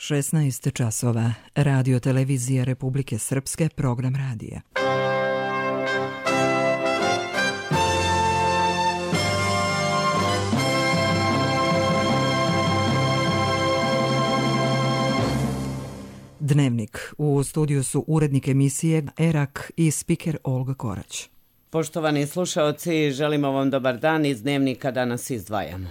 16 časova. Radio televizija Republike Srpske, program radija. Dnevnik. U studiju su urednik emisije Erak i spiker Olga Korać. Poštovani slušaoci, želimo vam dobar dan. Iz Dnevnika danas izdvajamo.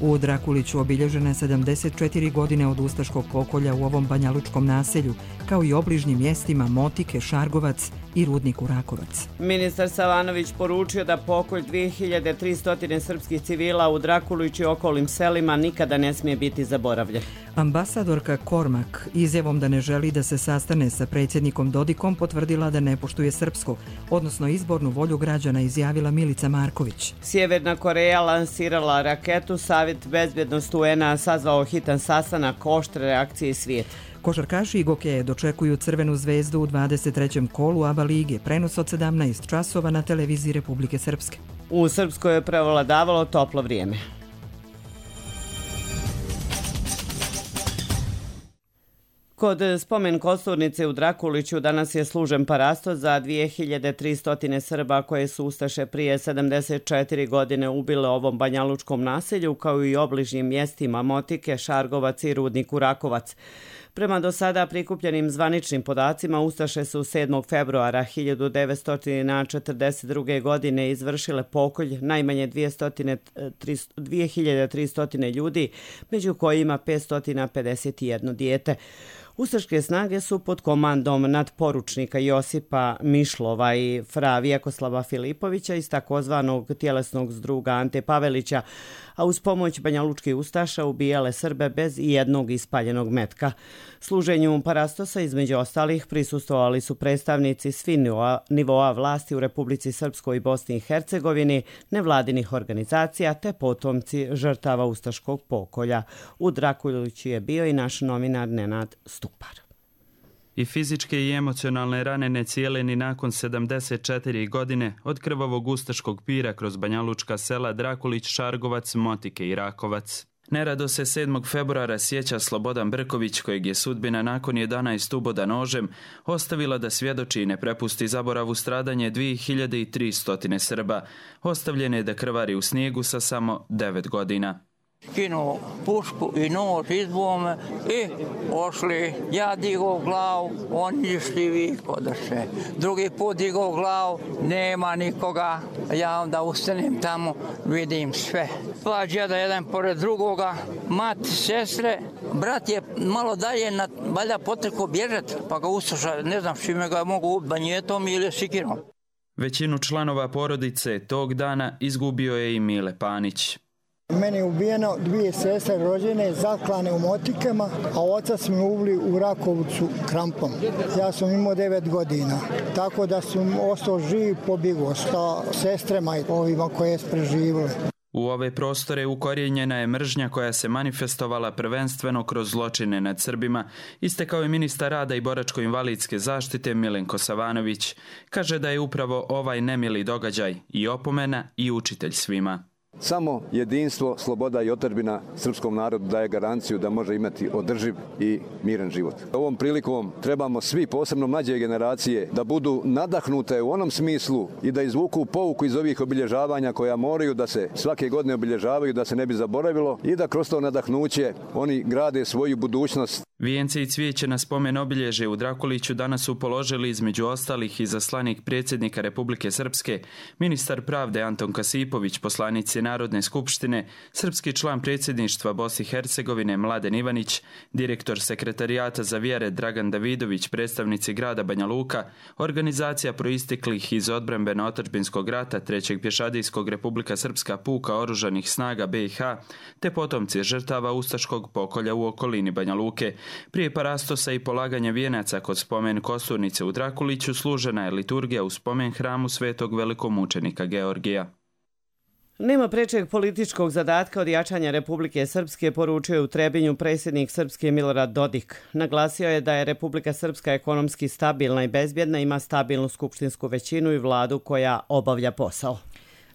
U Drakuliću obilježene 74 godine od ustaškog pokolja u ovom banjalučkom naselju, kao i obližnjim mjestima Motike, Šargovac i rudniku Rakovac. Ministar Savanović poručio da pokolj 2300 srpskih civila u Drakuliću i okolnim selima nikada ne smije biti zaboravljen. Ambasadorka Kormak izjavom da ne želi da se sastane sa predsjednikom Dodikom potvrdila da ne poštuje srpsko, odnosno izbornu volju građana, izjavila Milica Marković. Sjeverna Koreja lansirala raketu, Savjet bezbjednosti UN-a sazvao hitan sastanak, oštre reakcije svijeta. Košarkaši Igokeje dočekuju Crvenu zvezdu u 23. kolu ABA lige, prenos od 17 časova na televiziji Republike Srpske. U Srpskoj je prevladavalo toplo vrijeme. Kod spomen kosturnice u Drakuliću danas je služen parasto za 2300 Srba koje su ustaše prije 74 godine ubile ovom banjalučkom naselju, kao i obližnjim mjestima Motike, Šargovac i rudniku Rakovac. Prema do sada prikupljenim zvaničnim podacima, ustaše su 7. februara 1942. godine izvršile pokolj najmanje 2300 ljudi, među kojima 551 dijete. Ustaške snage su pod komandom nadporučnika Josipa Mišlova i fra Vjekoslava Filipovića iz takozvanog tjelesnog zdruga Ante Pavelića, a uz pomoć banjalučkih ustaša ubijale Srbe bez jednog ispaljenog metka. Služenju parastosa između ostalih prisustvovali su predstavnici svih nivoa vlasti u Republici Srpskoj i Bosni i Hercegovini, nevladinih organizacija te potomci žrtava ustaškog pokolja. U Drakuliću je bio i naš novinar Nenad Stupar. I fizičke i emocionalne rane ne cijele ni nakon 74 godine od krvavog ustaškog pira kroz banjalučka sela Drakulić, Šargovac, Motike i Rakovac. Nerado se 7. februara sjeća Slobodan Brković, kojeg je sudbina nakon 11 uboda nožem ostavila da svjedoči i ne prepusti zaboravu stradanje 2300 Srba, ostavljene da krvari u snijegu sa samo 9 godina. Skinuo pušku i nož izbome i ošli. Ja digao glavu, oni išli vikodaše. Drugi put digao glavu, nema nikoga. Ja onda ustanem tamo, vidim sve. Dva džeda jedan pored drugoga, mati, sestre. Brat je malo dalje, valjda potreko bježati, pa ga ustaša, ne znam čime ga mogu ubiti, banjetom ili sikirom. Većinu članova porodice tog dana izgubio je i Mile Panić. Meni je ubijeno dvije sestre rođene, zaklane u Motikama, a oca smo ubili u Rakovcu krampom. Ja sam imao 9 godina, tako da sam ostao živ, pobjegao sa sestrema i ovima koje su preživjeli. U ove prostore ukorijenjena je mržnja koja se manifestovala prvenstveno kroz zločine nad Srbima, istekao je ministar rada i boračko-invalidske zaštite Milenko Savanović. Kaže da je upravo ovaj nemili događaj i opomena i učitelj svima. Samo jedinstvo, sloboda i otadžbina srpskom narodu daje garanciju da može imati održiv i miran život. Ovom prilikom trebamo svi, posebno mlađe generacije, da budu nadahnute u onom smislu i da izvuku pouku iz ovih obilježavanja koja moraju da se svake godine obilježavaju, da se ne bi zaboravilo i da kroz to nadahnuće oni grade svoju budućnost. Vijence i cvijeće na spomen obilježje u Drakuliću danas su položili između ostalih izaslanik predsjednika Republike Srpske, ministar pravde Anton Kasipović, poslanici Narodne skupštine, srpski član predsjedništva Bosne i Hercegovine Mladen Ivanić, direktor sekretarijata za vjere Dragan Davidović, predstavnici grada Banja Luka, organizacija proisteklih iz odbrambeno-otadžbinskog rata 3. pješadijskog Republika Srpska puka oružanih snaga BiH, te potomci žrtava ustaškog pokolja u okolini Banja Luke. Prije parastosa i polaganja vijenaca kod spomen kosturnice u Drakuliću služena je liturgija u spomen hramu svetog velikomučenika Georgija. Nema prečeg političkog zadatka od jačanja Republike Srpske, poručio je u Trebinju predsjednik Srpske Milorad Dodik. Naglasio je da je Republika Srpska ekonomski stabilna i bezbjedna, ima stabilnu skupštinsku većinu i vladu koja obavlja posao.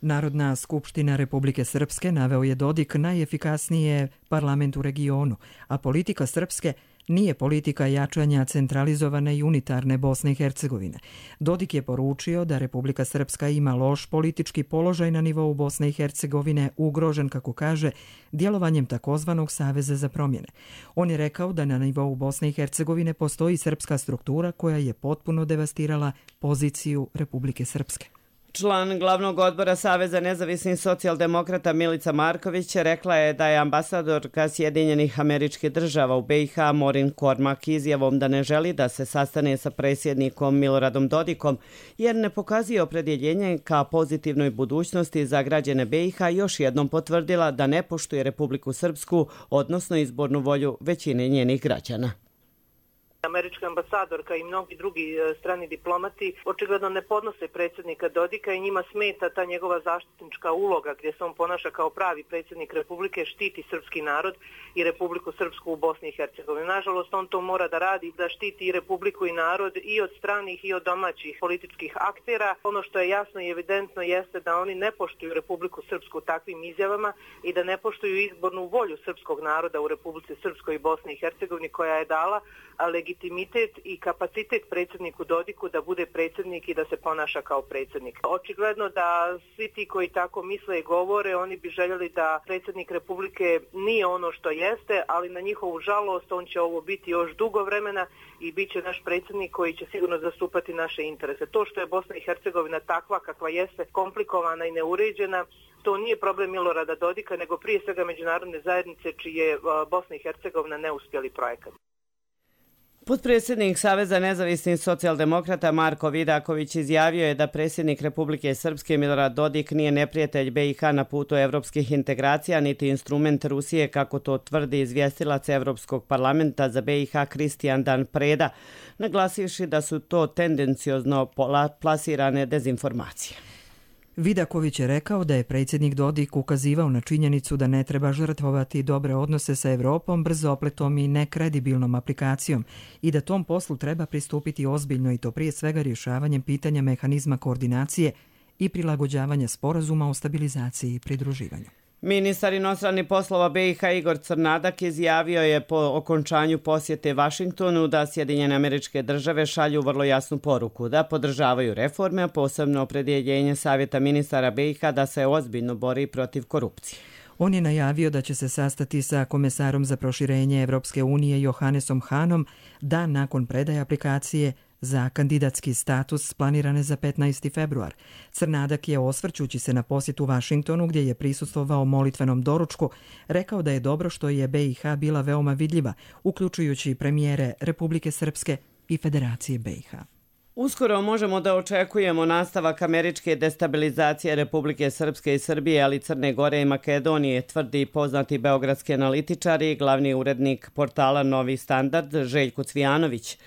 Narodna skupština Republike Srpske, naveo je Dodik, najefikasnije parlament u regionu, a politika Srpske nije politika jačanja centralizovane i unitarne Bosne i Hercegovine. Dodik je poručio da Republika Srpska ima loš politički položaj na nivou Bosne i Hercegovine, ugrožen, kako kaže, djelovanjem takozvanog Saveza za promjene. On je rekao da na nivou Bosne i Hercegovine postoji srpska struktura koja je potpuno devastirala poziciju Republike Srpske. Član glavnog odbora Saveza nezavisnih socijaldemokrata Milica Marković rekla je da je ambasadorka Sjedinjenih Američkih Država u BiH Morin Kormak izjavom da ne želi da se sastane sa predsjednikom Miloradom Dodikom jer ne pokazuje opredjeljenje ka pozitivnoj budućnosti za građane BiH još jednom potvrdila da ne poštuje Republiku Srpsku, odnosno izbornu volju većine njenih građana. Američka ambasadorka i mnogi drugi strani diplomati očigledno ne podnose predsjednika Dodika i njima smeta ta njegova zaštitnička uloga gdje se on ponaša kao pravi predsjednik Republike, štiti srpski narod i Republiku Srpsku u Bosni i Hercegovini. Nažalost, on to mora da radi, da štiti i Republiku i narod i od stranih i od domaćih političkih aktera. Ono što je jasno i evidentno jeste da oni ne poštuju Republiku Srpsku takvim izjavama i da ne poštuju izbornu volju srpskog naroda u Republici Srpskoj i Bosni i Hercegovini koja je dala legitimitet i kapacitet predsjedniku Dodiku da bude predsjednik i da se ponaša kao predsjednik. Očigledno da svi ti koji tako misle i govore, oni bi željeli da predsjednik Republike nije ono što jeste, ali na njihovu žalost on će ovo biti još dugo vremena i bit će naš predsjednik koji će sigurno zastupati naše interese. To što je Bosna i Hercegovina takva kakva jeste, komplikovana i neuređena, to nije problem Milorada Dodika, nego prije svega međunarodne zajednice čiji je Bosna i Hercegovina neuspjeli projekat. Potpredsjednik Saveza nezavisnih socijaldemokrata Marko Vidaković izjavio je da predsjednik Republike Srpske Milorad Dodik nije neprijatelj BiH na putu evropskih integracija niti instrument Rusije, kako to tvrdi izvjestilac Evropskog parlamenta za BiH Kristijan Dan Preda, naglasivši da su to tendenciozno plasirane dezinformacije. Vidaković je rekao da je predsjednik Dodik ukazivao na činjenicu da ne treba žrtvovati dobre odnose sa Evropom brzopletom i nekredibilnom aplikacijom i da tom poslu treba pristupiti ozbiljno i to prije svega rješavanjem pitanja mehanizma koordinacije i prilagođavanja sporazuma o stabilizaciji i pridruživanju. Ministar inostranih poslova BiH Igor Crnadak izjavio je po okončanju posjete Vašingtonu da Sjedinjene Američke Države šalju vrlo jasnu poruku da podržavaju reforme, a posebno opredjeljenje Savjeta ministara BiH da se ozbiljno bori protiv korupcije. On je najavio da će se sastati sa komesarom za proširenje Evropske unije Johannesom Hanom dan nakon predaje aplikacije za kandidatski status planirane za 15. februar. Crnadak je, osvrćući se na posjetu Vašingtonu gdje je prisustvovao molitvenom doručku, rekao da je dobro što je BiH bila veoma vidljiva, uključujući premijere Republike Srpske i Federacije BiH. Uskoro možemo da očekujemo nastavak američke destabilizacije Republike Srpske i Srbije, ali Crne Gore i Makedonije, tvrdi poznati beogradski analitičar i glavni urednik portala Novi standard Željko Cvijanović.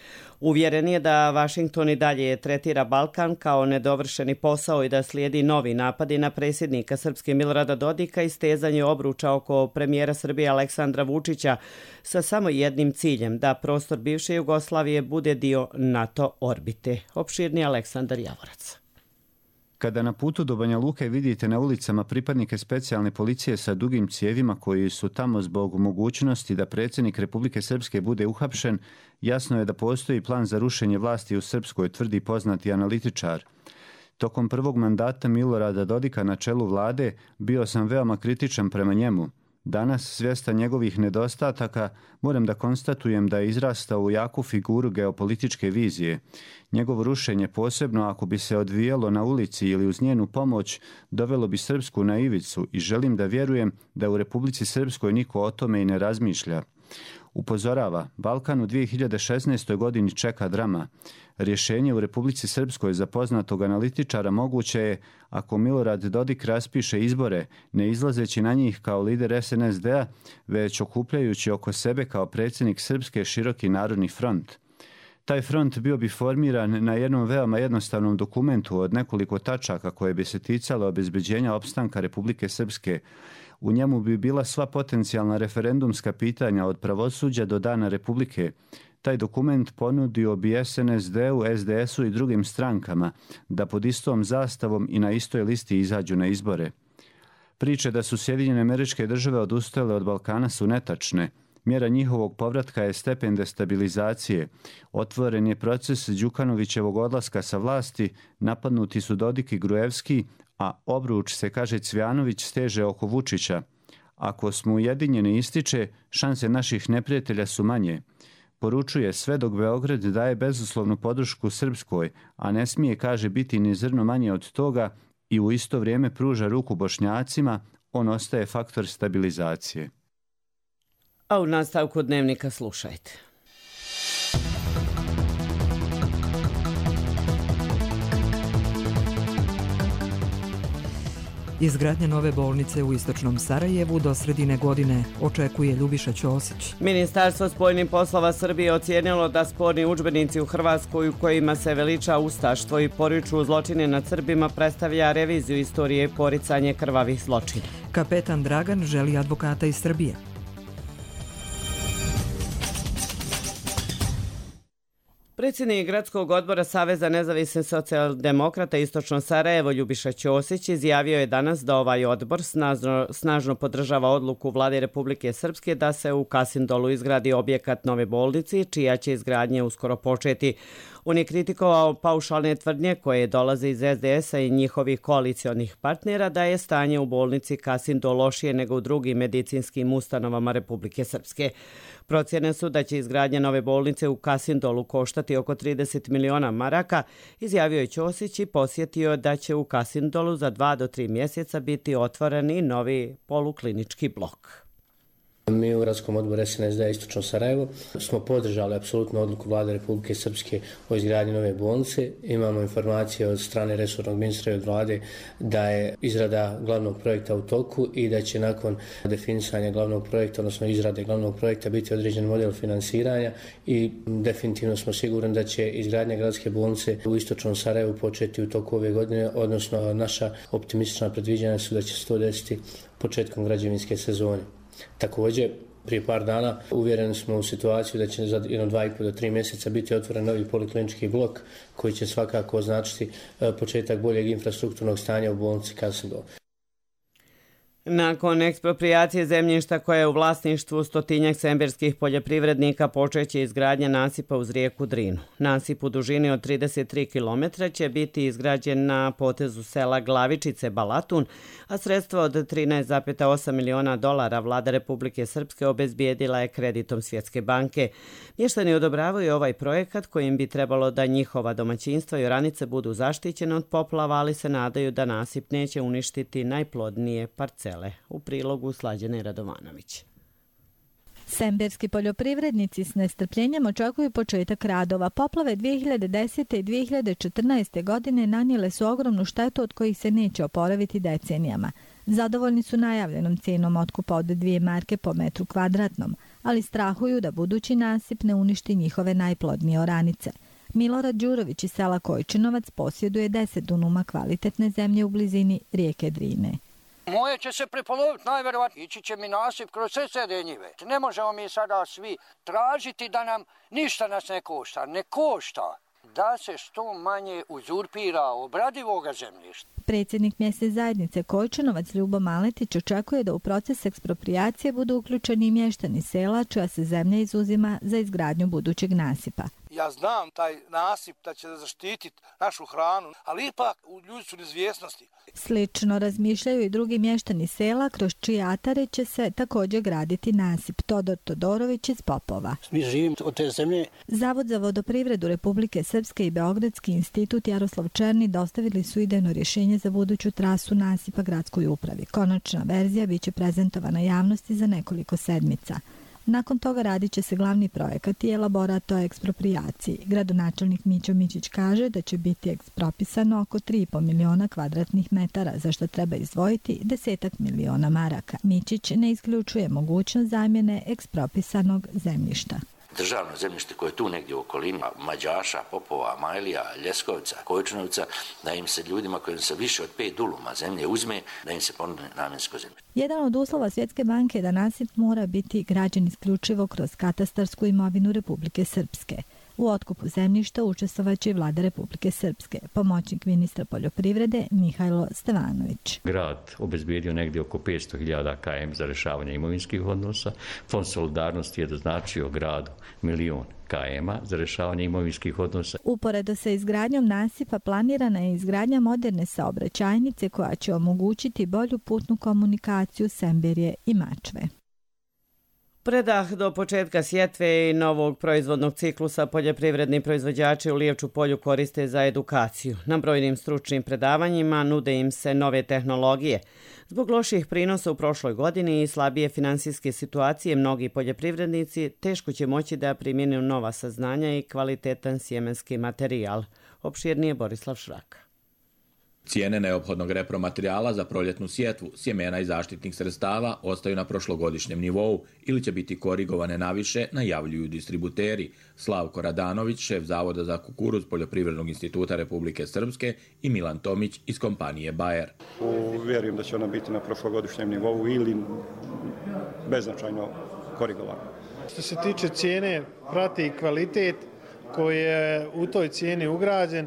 Uvjeren je da Vašington i dalje tretira Balkan kao nedovršeni posao i da slijedi novi napadi na predsjednika Srpske Milorada Dodika i stezanje obruča oko premijera Srbije Aleksandra Vučića sa samo jednim ciljem, da prostor bivše Jugoslavije bude dio NATO orbite. Opširni Aleksandar Javorac. Kada na putu do Banja Luke vidite na ulicama pripadnike specijalne policije sa dugim cijevima koji su tamo zbog mogućnosti da predsjednik Republike Srpske bude uhapšen, jasno je da postoji plan za rušenje vlasti u Srpskoj, tvrdi poznati analitičar. Tokom prvog mandata Milorada Dodika na čelu vlade bio sam veoma kritičan prema njemu. Danas, svjestan njegovih nedostataka, moram da konstatujem da je izrastao u jaku figuru geopolitičke vizije. Njegovo rušenje, posebno ako bi se odvijelo na ulici ili uz njenu pomoć, dovelo bi Srpsku na ivicu i želim da vjerujem da u Republici Srpskoj niko o tome i ne razmišlja. Upozorava, Balkan u 2016. godini čeka drama. Rješenje u Republici Srpskoj za poznatog analitičara moguće je ako Milorad Dodik raspiše izbore, ne izlazeći na njih kao lider SNSD-a, već okupljajući oko sebe kao predsjednik Srpske široki narodni front. Taj front bio bi formiran na jednom veoma jednostavnom dokumentu od nekoliko tačaka koje bi se ticalo obezbeđenja opstanka Republike Srpske. U njemu bi bila sva potencijalna referendumska pitanja od pravosuđa do dana Republike. Taj dokument ponudio bi SNSD-u, SDS-u i drugim strankama da pod istom zastavom i na istoj listi izađu na izbore. Priče da su Sjedinjene Američke Države odustajale od Balkana su netačne. Mjera njihovog povratka je stepen destabilizacije. Otvoren je proces Đukanovićevog odlaska sa vlasti, napadnuti su Dodik i Gruevski, a obruč se, kaže Cvjanović, steže oko Vučića. Ako smo ujedinjeni, ističe, šanse naših neprijatelja su manje. Poručuje sve dok Beograd daje bezuslovnu podršku Srpskoj, a ne smije, kaže, biti ni zrno manje od toga, i u isto vrijeme pruža ruku Bošnjacima, on ostaje faktor stabilizacije. A u nastavku dnevnika slušajte. Izgradnja nove bolnice u istočnom Sarajevu do sredine godine, očekuje Ljubiša Ćosić. Ministarstvo spoljnih poslova Srbije ocijenilo da sporni udžbenici u Hrvatskoj u kojima se veliča ustaštvo i poriču zločine nad Srbima predstavlja reviziju istorije i poricanje krvavih zločina. Kapetan Dragan želi advokata iz Srbije. Predsjednik Gradskog odbora Saveza nezavisnih socijaldemokrata Istočno Sarajevo Ljubiša Ćosić izjavio je danas da ovaj odbor snažno podržava odluku Vlade Republike Srpske da se u Kasindolu izgradi objekat nove bolnice, čija će izgradnje uskoro početi. On je kritikovao paušalne tvrdnje koje dolaze iz SDS-a i njihovih koalicionih partnera da je stanje u bolnici Kasindol lošije nego u drugim medicinskim ustanovama Republike Srpske. Procjene su da će izgradnja nove bolnice u Kasindolu koštati oko 30 miliona maraka, izjavio je Ćosić i posjetio da će u Kasindolu za 2 do 3 mjeseca biti otvoren i novi poluklinički blok. Mi u Gradskom odboru SNSD Istočno Sarajevo smo podržali apsolutno odluku Vlade Republike Srpske o izgradnji nove bolnice. Imamo informacije od strane resornog ministra i od Vlade da je izrada glavnog projekta u toku i da će nakon definisanja glavnog projekta, odnosno izrade glavnog projekta, biti određen model finansiranja i definitivno smo sigurni da će izgradnja gradske bolnice u Istočnom Sarajevu početi u toku ove godine, odnosno naša optimistična predviđanja su da će se to desiti početkom građevinske sezone. Također, prije par dana uvjereni smo u situaciju da će za 2,5 do 3 mjeseca biti otvoren novi poliklinički blok koji će svakako označiti početak boljeg infrastrukturnog stanja u bolnici Kasindol. Nakon eksproprijacije zemljišta koje je u vlasništvu 100-tinjak semberskih poljoprivrednika počeće izgradnja nasipa uz rijeku Drinu. Nasip u dužini od 33 km će biti izgrađen na potezu sela Glavičice Balatun, a sredstva od 13,8 miliona dolara Vlada Republike Srpske obezbijedila je kreditom Svjetske banke. Mještani odobravaju ovaj projekat kojim bi trebalo da njihova domaćinstva i oranice budu zaštićene od poplava, ali se nadaju da nasip neće uništiti najplodnije parcele. U prilogu Slađane Radovanović. Semberski poljoprivrednici s nestrpljenjem očekuju početak radova. Poplave 2010. i 2014. godine nanijele su ogromnu štetu od kojih se neće oporaviti decenijama. Zadovoljni su najavljenom cijenom otkupa od 2 marke po metru kvadratnom, ali strahuju da budući nasip ne uništi njihove najplodnije oranice. Milorad Đurović iz sela Kojčinovac posjeduje 10 dunuma kvalitetne zemlje u blizini rijeke Drine. Moje će se prepoloviti, najverovatnije. Ići će mi nasip kroz sve njive. Ne možemo mi sada svi tražiti da nam ništa nas ne košta. Ne košta da se što manje uzurpira obradivoga zemljišta. Predsjednik mjesne zajednice Kojčinovac Ljubo Maletić očekuje da u proces eksproprijacije budu uključeni mještani sela čija se zemlja izuzima za izgradnju budućeg nasipa. Ja znam taj nasip da će zaštititi našu hranu, ali ipak ljudi su u neizvjesnosti. Slično razmišljaju i drugi mještani sela kroz čije atare će se također graditi nasip. Todor Todorović iz Popova. Mi živimo od te zemlje. Zavod za vodoprivredu Republike Srpske i Beogradski institut Jaroslav Černi dostavili su idejno rješenje za buduću trasu nasipa gradskoj upravi. Konačna verzija biće prezentovana javnosti za nekoliko sedmica. Nakon toga radit će se glavni projekat i elaborat o eksproprijaciji. Gradonačelnik Mićo Mićić kaže da će biti ekspropisano oko 3,5 miliona kvadratnih metara, za što treba izdvojiti 10 miliona maraka. Mićić ne isključuje mogućnost zamjene ekspropisanog zemljišta. Državno zemljište koje je tu negdje u okolini, Mađaša, Popova, Majlija, Ljeskovca, Kojčunovca, da im se ljudima kojim se više od 5 duluma zemlje uzme, da im se ponude namjensko zemlje. Jedan od uslova Svjetske banke je da nasip mora biti građen isključivo kroz katastarsku imovinu Republike Srpske. U otkupu zemljišta učestvovaće i vlada Republike Srpske, pomoćnik ministra poljoprivrede Mihajlo Stevanović. Grad obezbijedio negdje oko 500.000 km za rješavanje imovinskih odnosa. Fond solidarnosti je doznačio gradu 1.000.000 km za rješavanje imovinskih odnosa. Uporedo sa izgradnjom nasipa planirana je izgradnja moderne saobraćajnice koja će omogućiti bolju putnu komunikaciju Semberije i Mačve. Predah do početka sjetve i novog proizvodnog ciklusa poljoprivredni proizvođači u Lijevču polju koriste za edukaciju. Na brojnim stručnim predavanjima nude im se nove tehnologije. Zbog loših prinosa u prošloj godini i slabije finansijske situacije, mnogi poljoprivrednici teško će moći da primjenu nova saznanja i kvalitetan sjemenski materijal. Opširnije Borislav Šrak. Cijene neophodnog repromaterijala za proljetnu sjetvu, sjemena i zaštitnih sredstava ostaju na prošlogodišnjem nivou ili će biti korigovane naviše, najavljuju distributeri. Slavko Radanović, šef Zavoda za kukuruz Poljoprivrednog instituta Republike Srpske, i Milan Tomić iz kompanije Bayer. Vjerujem da će ona biti na prošlogodišnjem nivou ili beznačajno korigovana. Što se tiče cijene, prati kvalitet koji je u toj cijeni ugrađen.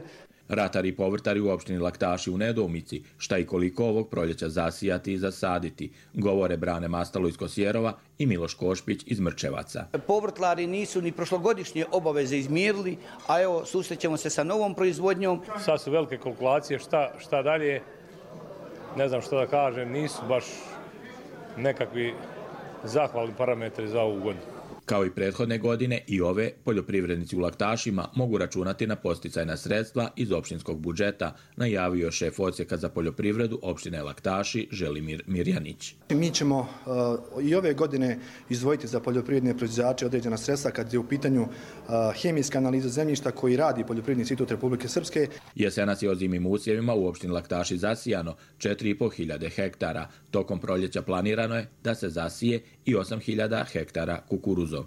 Ratari i povrtari u opštini Laktaši u nedoumici šta i koliko ovog proljeća zasijati i zasaditi, govore Brane Mastalo iz Kosjerova i Miloš Košpić iz Mrčevaca. Povrtlari nisu ni prošlogodišnje obaveze izmirili, a evo susrećemo se sa novom proizvodnjom. Sad su velike kalkulacije, šta dalje, ne znam što da kažem, nisu baš nekakvi zahvalni parametri za ovu godinu. Kao i prethodne godine i ove, poljoprivrednici u Laktašima mogu računati na posticajna sredstva iz opštinskog budžeta, najavio šef odsjeka za poljoprivredu opštine Laktaši Želimir Mirjanić. Mi ćemo i ove godine izdvojiti za poljoprivredne proizvođače određena sredstva kad je u pitanju hemijska analiza zemljišta koji radi Poljoprivredni institut Republike Srpske. Jesenas je ozimim usjevima u opštini Laktaši zasijano 4.500 hektara. Tokom proljeća planirano je da se zasije i 8.000 hektara kukuruzom.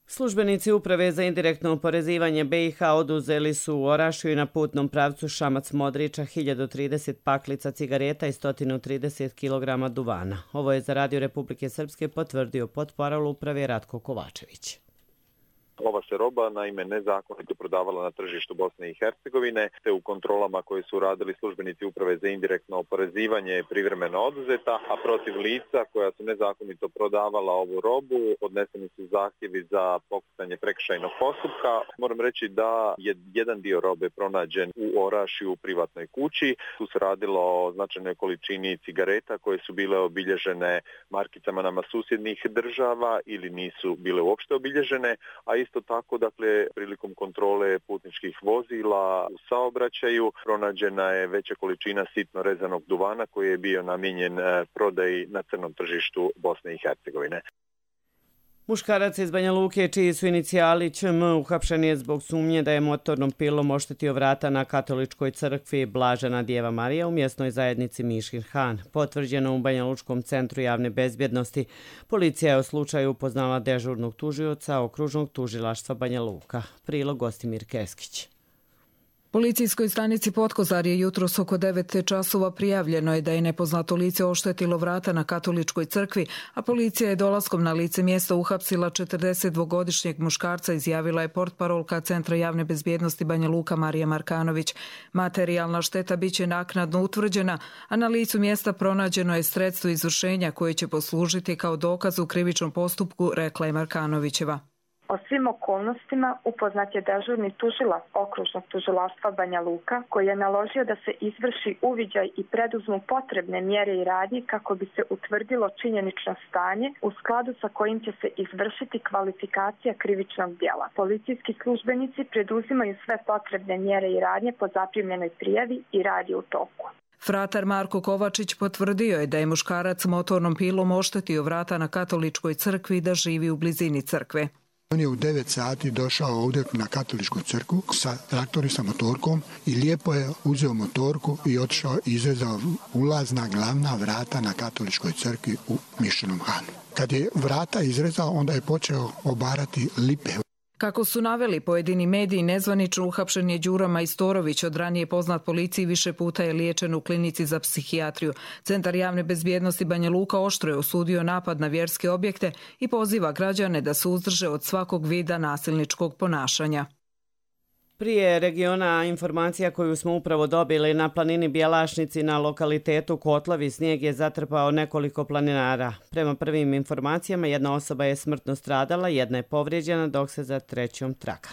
Službenici Uprave za indirektno oporezivanje BiH oduzeli su u Orašju i na putnom pravcu Šamac-Modriča 1030 paklica cigareta i 130 kg duvana. Ovo je za Radio Republike Srpske potvrdio potporal Uprave Ratko Kovačević. Ova se roba naime nezakonito prodavala na tržištu Bosne i Hercegovine, te u kontrolama koje su radili službenici Uprave za indirektno oporezivanje privremeno oduzeta, a protiv lica koja su nezakonito prodavala ovu robu podneseni su zahtjevi za pokretanje prekršajnog postupka. Moram reći da je jedan dio robe pronađen u Orašju u privatnoj kući. Tu se radilo o značajnoj količini cigareta koje su bile obilježene markicama nama susjednih država ili nisu bile uopšte obilježene, a isto tako, dakle, prilikom kontrole putničkih vozila u saobraćaju pronađena je veća količina sitno rezanog duvana koji je bio namijenjen prodaji na crnom tržištu Bosne i Hercegovine. Muškarac iz Banja Luke, čiji su inicijali ČM, uhapšen je zbog sumnje da je motornom pilom oštetio vrata na katoličkoj crkvi Blažena Djeva Marija u mjesnoj zajednici Miškin Han. Potvrđeno u Banja Lučkom centru javne bezbjednosti. Policija je o slučaju upoznala dežurnog tužioca okružnog tužilaštva Banja Luka. Prilog Gostimir Keskić. Policijskoj stanici Potkozar je jutros oko 9 časova prijavljeno je da je nepoznato lice oštetilo vrata na katoličkoj crkvi, a policija je dolaskom na lice mjesta uhapsila 42-godišnjeg muškarca, izjavila je portparolka Centra javne bezbjednosti Banja Luka Marija Markanović. Materijalna šteta biće naknadno utvrđena, a na licu mjesta pronađeno je sredstvo izvršenja koje će poslužiti kao dokaz u krivičnom postupku, rekla je Markanovićeva. O svim okolnostima upoznat je dežurni tužilac okružnog tužilaštva Banja Luka koji je naložio da se izvrši uviđaj i preduzmu potrebne mjere i radnje kako bi se utvrdilo činjenično stanje u skladu sa kojim će se izvršiti kvalifikacija krivičnog djela. Policijski službenici preduzimaju sve potrebne mjere i radnje po zaprimljenoj prijavi i rad je u toku. Fratar Marko Kovačić potvrdio je da je muškarac motornom pilom oštetio vrata na katoličkoj crkvi i da živi u blizini crkve. On je u 9 sati došao ovdje na katoličku crkvu sa traktorom, sa motorkom i lijepo je uzeo motorku i otišao i izrezao ulazna glavna vrata na katoličkoj crkvi u Mišćenom Hanu. Kad je vrata izrezao, onda je počeo obarati lipe. Kako su naveli pojedini mediji, nezvanično uhapšen je Đura Majstorović, od ranije poznat policiji, više puta je liječen u klinici za psihijatriju. Centar javne bezbjednosti Banja Luka oštro je osudio napad na vjerske objekte i poziva građane da se uzdrže od svakog vida nasilničkog ponašanja. Prije regiona informacija koju smo upravo dobili, na planini Bjelašnici na lokalitetu Kotlovi snijeg je zatrpao nekoliko planinara. Prema prvim informacijama jedna osoba je smrtno stradala, jedna je povrijeđena, dok se za trećom traka.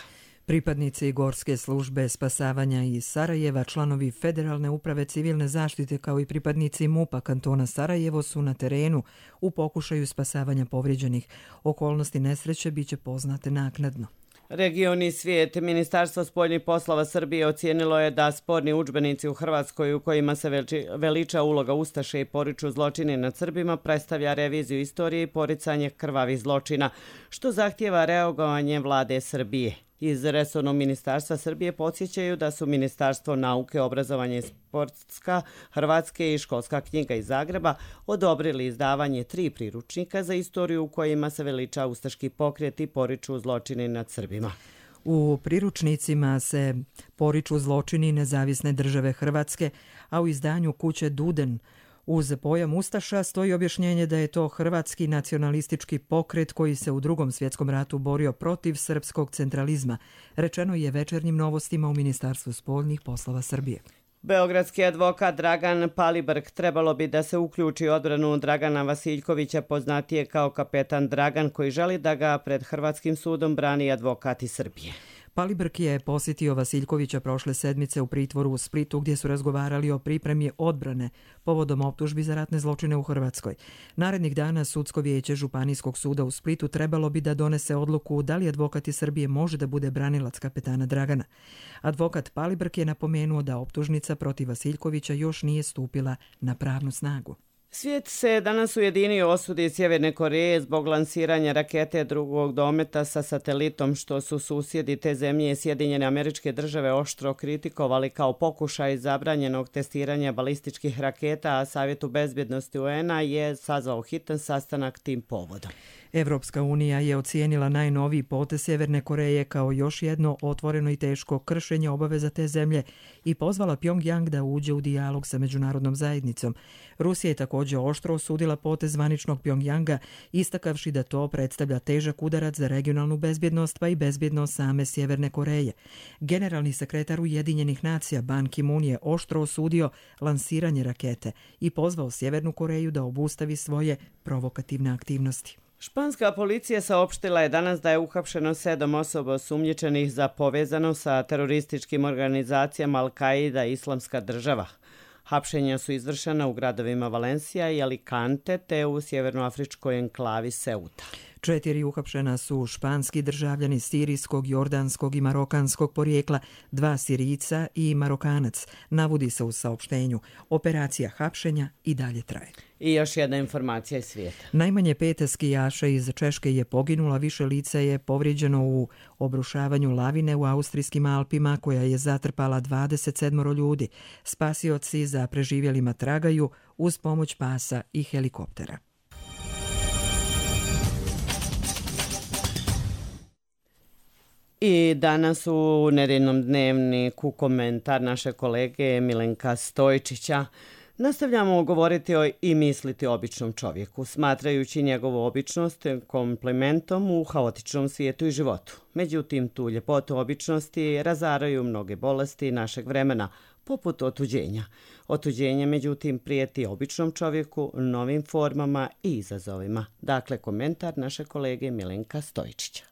Pripadnici Gorske službe spasavanja iz Sarajeva, članovi Federalne uprave civilne zaštite kao i pripadnici MUP-a kantona Sarajevo su na terenu u pokušaju spasavanja povrijeđenih. Okolnosti nesreće biće poznate naknadno. Region i svijet. Ministarstvo spoljnih poslova Srbije ocijenilo je da sporni udžbenici u Hrvatskoj u kojima se veliča uloga ustaše i poriču zločini nad Srbima predstavlja reviziju istorije i poricanje krvavih zločina, što zahtijeva reagovanje vlade Srbije. Iz resornog ministarstva Srbije podsjećaju da su Ministarstvo nauke, obrazovanja i sportska, Hrvatske i školska knjiga iz Zagreba odobrili izdavanje 3 priručnika za istoriju u kojima se veliča ustaški pokret i poriču zločini nad Srbima. U priručnicima se poriču zločini Nezavisne države Hrvatske, a u izdanju kuće Duden uz pojam ustaša stoji objašnjenje da je to hrvatski nacionalistički pokret koji se u Drugom svjetskom ratu borio protiv srpskog centralizma, rečeno je Večernjim novostima u Ministarstvu spoljnih poslova Srbije. Beogradski advokat Dragan Palibrk trebalo bi da se uključi u odbranu Dragana Vasiljkovića, poznatije kao kapetan Dragan, koji želi da ga pred Hrvatskim sudom brani advokat iz Srbije. Palibrk je posjetio Vasiljkovića prošle sedmice u pritvoru u Splitu gdje su razgovarali o pripremi odbrane povodom optužbi za ratne zločine u Hrvatskoj. Narednih dana Sudsko vijeće Županijskog suda u Splitu trebalo bi da donese odluku da li advokat iz Srbije može da bude branilac kapetana Dragana. Advokat Palibrk je napomenuo da optužnica protiv Vasiljkovića još nije stupila na pravnu snagu. Svijet se danas ujedinio osudi Sjeverne Koreje zbog lansiranja rakete drugog dometa sa satelitom, što su susjedi te zemlje Sjedinjene Američke Države oštro kritikovali kao pokušaj zabranjenog testiranja balističkih raketa, a Savjetu bezbjednosti UN-a je sazvao hitan sastanak tim povodom. Evropska unija je ocijenila najnoviji potez Sjeverne Koreje kao još jedno otvoreno i teško kršenje obaveza te zemlje i pozvala Pjongjang da uđe u dijalog sa međunarodnom zajednicom. Rusija je također oštro osudila potez zvaničnog Pjongjanga, istakavši da to predstavlja težak udarac za regionalnu bezbjednost pa i bezbjednost same Sjeverne Koreje. Generalni sekretar Ujedinjenih nacija Ban Ki-moon je oštro osudio lansiranje rakete i pozvao Sjevernu Koreju da obustavi svoje provokativne aktivnosti. Španska policija saopštila je danas da je uhapšeno 7 osoba osumnjičenih za povezano sa terorističkim organizacijama Al-Qaida i Islamska država. Hapšenja su izvršena u gradovima Valencija i Alicante te u sjevernoafričkoj enklavi Ceuta. 4 uhapšena su španski državljani sirijskog, jordanskog i marokanskog porijekla, 2 Sirijca i Marokanac, navodi se u saopštenju. Operacija hapšenja i dalje traje. I još jedna informacija iz svijeta. Najmanje 5 skijaša iz Češke je poginula, više lica je povrijeđeno u obrušavanju lavine u austrijskim Alpima koja je zatrpala 27 ljudi. Spasioci za preživjelima tragaju uz pomoć pasa i helikoptera. I danas u nedeljnom dnevniku komentar naše kolege Milenka Stojčića. Nastavljamo govoriti i misliti o običnom čovjeku, smatrajući njegovu običnost komplementom u haotičnom svijetu i životu. Međutim, tu ljepotu običnosti razaraju mnoge bolesti našeg vremena, poput otuđenja. Otuđenje, međutim, prijeti običnom čovjeku novim formama i izazovima. Dakle, komentar naše kolege Milenka Stojčića.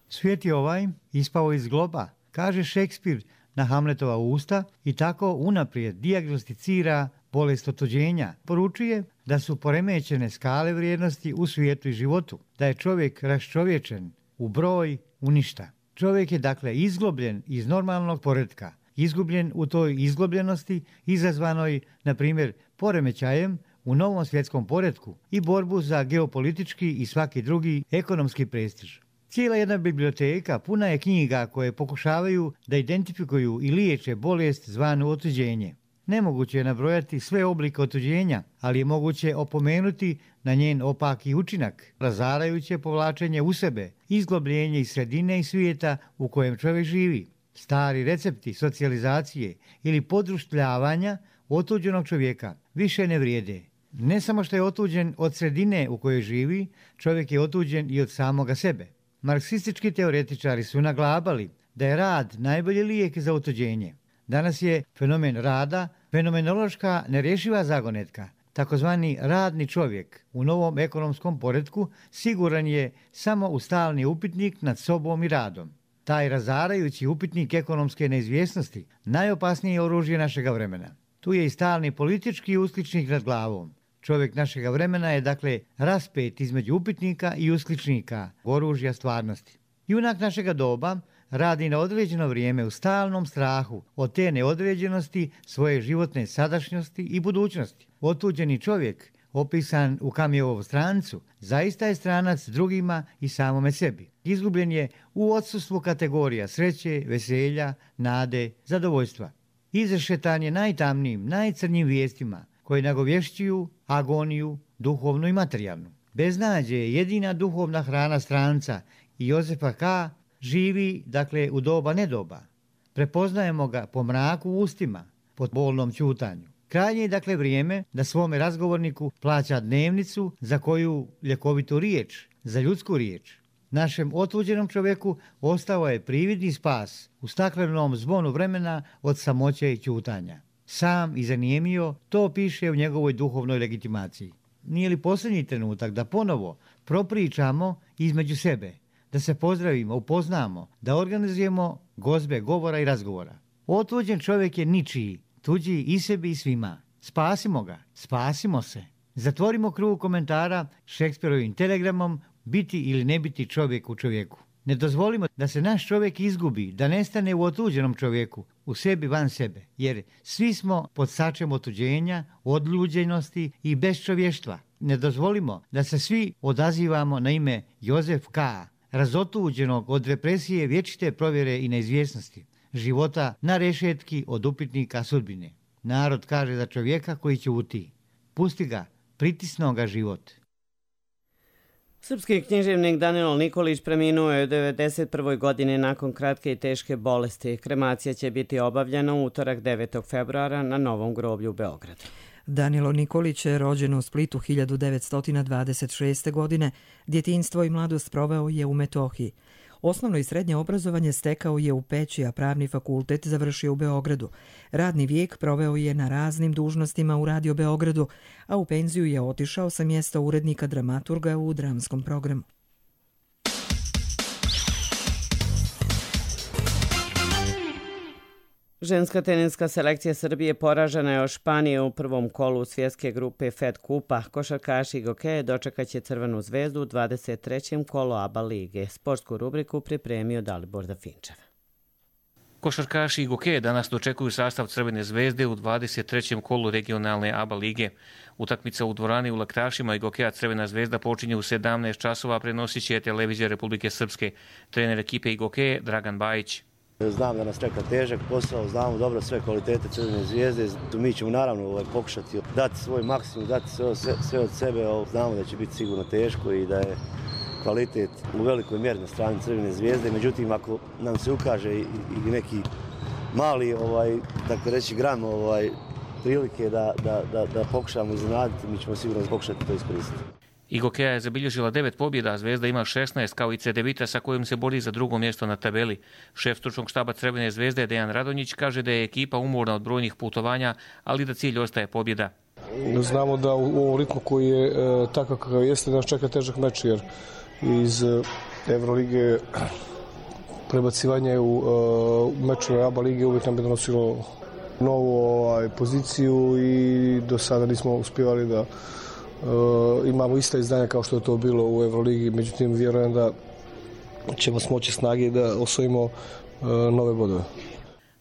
Svijet je ovaj ispao iz globa, kaže Šekspir na Hamletova usta i tako unaprijed dijagnosticira bolest otuđenja. Poručuje da su poremećene skale vrijednosti u svijetu i životu, da je čovjek raščovječen u broj, u ništa. Čovjek je dakle izglobljen iz normalnog poretka, izgubljen u toj izglobljenosti izazvanoj, na primjer, poremećajem u novom svjetskom poretku i borbu za geopolitički i svaki drugi ekonomski prestiž. Cijela jedna biblioteka puna je knjiga koje pokušavaju da identifikuju i liječe bolest zvanu otuđenje. Nemoguće je nabrojati sve oblike otuđenja, ali je moguće opomenuti na njen opaki učinak, razarajuće povlačenje u sebe, izglobljenje iz sredine i svijeta u kojem čovjek živi. Stari recepti socijalizacije ili podruštljavanja otuđenog čovjeka više ne vrijede. Ne samo što je otuđen od sredine u kojoj živi, čovjek je otuđen i od samoga sebe. Marksistički teoretičari su naglabali da je rad najbolji lijek za otuđenje. Danas je fenomen rada fenomenološka nerješiva zagonetka. Takozvani radni čovjek u novom ekonomskom poretku siguran je samo u stalni upitnik nad sobom i radom. Taj razarajući upitnik ekonomske neizvjesnosti najopasnije oružje našega vremena. Tu je i stalni politički uskličnik nad glavom. Čovjek našega vremena je dakle raspet između upitnika i uskličnika, oružja stvarnosti. Junak našega doba radi na određeno vrijeme u stalnom strahu od te neodređenosti svoje životne sadašnjosti i budućnosti. Otuđeni čovjek, opisan u Camusovu Strancu, zaista je stranac drugima i samome sebi. Izgubljen je u odsustvu kategorija sreće, veselja, nade, zadovoljstva. Izrešetan je najtamnijim, najcrnjim vijestima koje nagovješćuju agoniju, duhovnu i materijalnu. Beznađe je jedina duhovna hrana stranca i Jozefa K. živi, dakle, u doba nedoba. Prepoznajemo ga po mraku u ustima, po bolnom ćutanju. Krajnje je, dakle, vrijeme da svome razgovorniku plaća dnevnicu za koju ljekovitu riječ, za ljudsku riječ. Našem otuđenom čovjeku ostao je prividni spas u staklenom zvonu vremena od samoće i ćutanja. Sam i zanijemio, to piše u njegovoj duhovnoj legitimaciji. Nije li posljednji trenutak da ponovo propričamo između sebe, da se pozdravimo, upoznamo, da organizujemo gozbe govora i razgovora? Otuđen čovjek je ničiji, tuđi i sebi i svima. Spasimo ga, spasimo se. Zatvorimo krug komentara Šekspirovim telegramom biti ili ne biti čovjek u čovjeku. Ne dozvolimo da se naš čovjek izgubi, da nestane u otuđenom čovjeku, u sebi van sebe, jer svi smo pod sačem otuđenja, odljuđenosti i bezčovještva. Ne dozvolimo da se svi odazivamo na ime Jozef K., razotuđenog od represije vječite provjere i neizvjesnosti, života na rešetki od upitnika sudbine. Narod kaže za čovjeka koji ćuti. Pusti ga, pritisno ga život. Srpski književnik Danilo Nikolić preminuo je u 91. godini nakon kratke i teške bolesti. Kremacija će biti obavljena u utorak 9. februara na Novom groblju u Beogradu. Danilo Nikolić je rođen u Splitu 1926. godine. Djetinjstvo i mladost proveo je u Metohiji. Osnovno i srednje obrazovanje stekao je u Peći, a pravni fakultet završio u Beogradu. Radni vijek proveo je na raznim dužnostima u Radio Beogradu, a u penziju je otišao sa mjesta urednika dramaturga u dramskom programu. Ženska teniska selekcija Srbije poražena je od Španije u prvom kolu svjetske grupe Fed Kupa. Košarkaši Gokeje dočekaće Crvenu zvezdu u 23. kolu ABA lige. Sportsku rubriku pripremio Dalibor Dafinčev. Košarkaši Gokeje danas dočekuju sastav Crvene zvezde u 23. kolu regionalne ABA lige. Utakmica u dvorani u Laktašima i Gokeja Crvena zvezda počinje u 17 časova, prenosit će televizija Republike Srpske. Trener ekipe Gokeje Dragan Bajić. Znam da nas čeka težak posao, znamo dobro sve kvalitete Crvene zvijezde. Mi ćemo naravno pokušati dati svoj maksimum, dati sve od sebe. Znamo da će biti sigurno teško i da je kvalitet u velikoj mjeri na strani Crvene zvijezde. Međutim, ako nam se ukaže i neki mali, tako reći, gram prilike da pokušamo iznenaditi, mi ćemo sigurno pokušati to iskoristiti. Gokeja je zabilježila 9 pobjeda, a Zvezda ima 16 kao i Cedevita sa kojim se bori za drugo mjesto na tabeli. Šef stručnog štaba Crvene zvezde Dejan Radonjić kaže da je ekipa umorna od brojnih putovanja, ali da cilj ostaje pobjeda. Znamo da u ovom ritmu koji je takav kakav jeste nas čeka težak meč, jer iz Evrolige prebacivanje u mečove ABA lige uvijek nam je donosilo novu poziciju i do sada nismo uspjevali da imamo ista izdanja kao što je to bilo u Evroligi, međutim vjerujem da ćemo smoći snage da osvojimo nove bodove.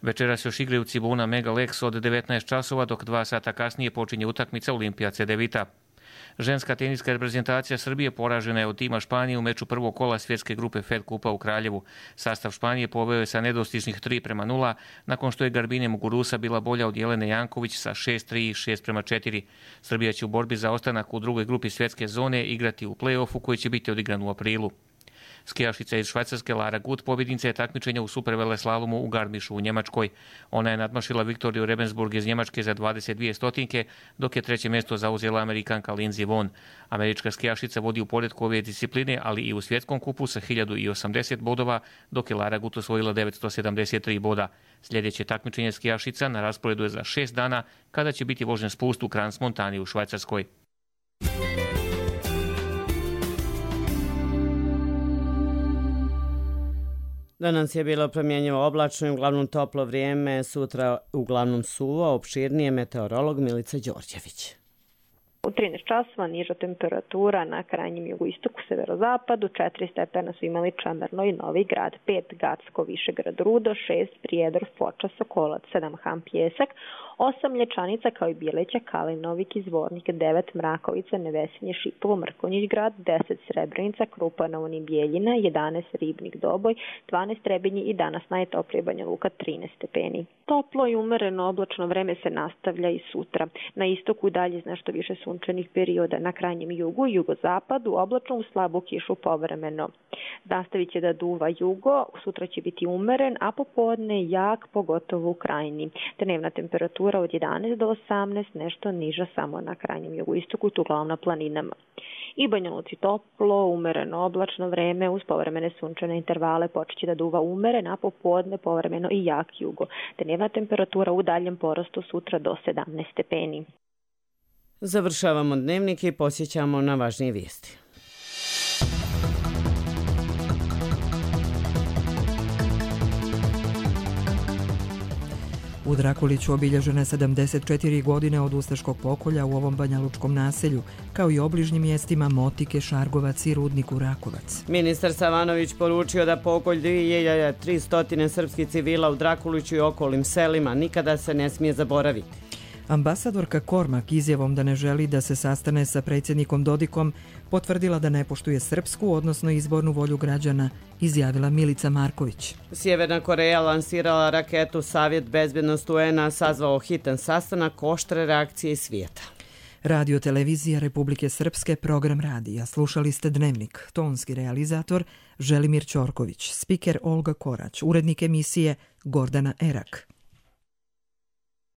Večeras još igraju Cibona Mega Lex od 19 časova, dok 2 sata kasnije počinje utakmica Olimpija Cedevita. Ženska teniska reprezentacija Srbije poražena je od tima Španije u meču prvog kola svjetske grupe Fed Kupa u Kraljevu. Sastav Španije poveo je sa nedostižnih 3:0, nakon što je Garbine Muguruza bila bolja od Jelene Janković sa 6:3 i 6:4. Srbija će u borbi za ostanak u drugoj grupi svjetske zone igrati u play-offu koji će biti odigran u aprilu. Skijašica iz Švajcarske Lara Gut pobjednica je takmičenja u superveleslalomu u Garmišu u Njemačkoj. Ona je nadmašila Viktoriju Rebensburg iz Njemačke za 22 stotinke, dok je treće mjesto zauzela Amerikanka Lindsey Vonn. Američka skijašica vodi u poretku ove discipline, ali i u svjetskom kupu sa 1080 bodova, dok je Lara Gut osvojila 973 boda. Sljedeće takmičenje skijašica na rasporedu je za 6 dana, kada će biti vožen spust u Crans Montani u Švajcarskoj. Danas je bilo promjenjivo oblačno i uglavnom toplo vrijeme, sutra uglavnom suvo, opširnije meteorolog Milica Đorđević. U 13 časova niža temperatura na krajnjem jugoistoku, severozapadu, 4 stepena su imali Čemerno i Novi Grad, 5 Gacko, Višegrad, Rudo, 6 Prijedor, Foča, Sokolac, 7 Ham, Pjesak, 8 Lječanica kao i Bileća, Kalinovik, Izvornik, 9 Mrakovica, Nevesinje, Šipovo, Mrkonjić Grad, 10 Srebrenica, Krupanovo i Bijeljina, 11 Ribnik, Doboj, 12 Trebinje i danas najtoplije Banja Luka 13 stepeni. Toplo i umereno oblačno vreme se nastavlja i sutra. Na istoku dalje nešto više sunčanih perioda, na krajnjem jugu i jugozapadu oblačno u slabu kišu povremeno. Nastavit će da duva jugo, sutra će biti umeren, a popodne jak, pogotovo u krajini. Dnevna temperatura od 11 do 18, nešto niža samo na krajnjem jugoistoku, tu uglavnom na planinama. I Banja Luci toplo, umereno oblačno vreme uz povremene sunčane intervale, počeće da duva umeren, a popodne povremeno i jak jugo. Dnevna temperatura u daljem porastu sutra do 17 stepeni. Završavamo dnevnik i posjećamo na važnije vijesti. U Drakuliću obilježene 74 godine od ustaškog pokolja u ovom banjalučkom naselju, kao i obližnjim mjestima Motike, Šargovac i Rudniku Rakovac. Ministar Savanović poručio da pokolj 2300 srpskih civila u Drakuliću i okolnim selima nikada se ne smije zaboraviti. Ambasadorka Kormak izjavom da ne želi da se sastane sa predsjednikom Dodikom potvrdila da ne poštuje srpsku, odnosno izbornu volju građana, izjavila Milica Marković. Sjeverna Koreja lansirala raketu, Savjet bezbjednosti UN-a sazvao hitan sastanak, oštre reakcije iz svijeta. Radio Televizija Republike Srpske, program radija. Slušali ste Dnevnik. Tonski realizator Želimir Ćorković, spiker Olga Korać, urednik emisije Gordana Erak.